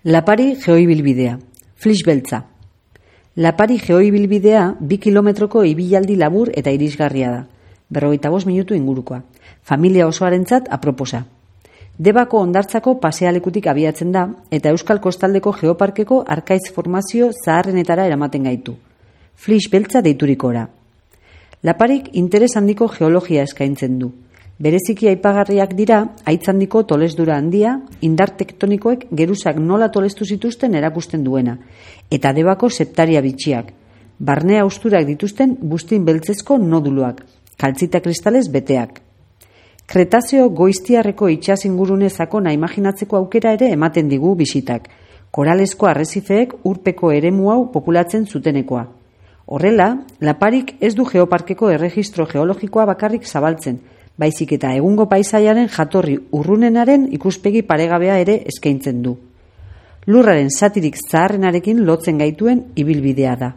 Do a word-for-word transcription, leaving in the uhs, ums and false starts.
Lapari geoibilbidea, Flix beltza. Lapari geoibilbidea bi kilometroko ibilaldi labur eta irisgarria da, berrogeita bost minutu ingurukoa, familia osoarentzat aproposa. Debako hondartzako pasealekutik abiatzen da eta Euskal Kostaldeko Geoparkeko arkaitz formazio zaharrenetara eramaten gaitu. Flix beltza deiturikora. Laparik interes handiko geologia eskaintzen du. Bereziki aipagarriak dira haitz handiko tolesdura handia, indar tektonikoek geruzak nola tolestu zituzten erakusten duena, eta Debako septaria bitxiak, barne hausturak dituzten buztin beltzezko noduluak, kaltzita kristalez beteak. Kretazeo goiztiarreko itsas ingurune sakona imaginatzeko aukera ere ematen digu bisitak, koralesko arrezifeek urpeko eremu hau populatzen zutenekoa. Horrela, Laparik ez du geoparkeko erregistro geologikoa bakarrik zabaltzen, baizik eta egungo paisaiaren jatorri urrunenaren ikuspegi paregabea ere eskaintzen du. Lurraren zatirik zaharrenarekin lotzen gaituen ibilbidea da.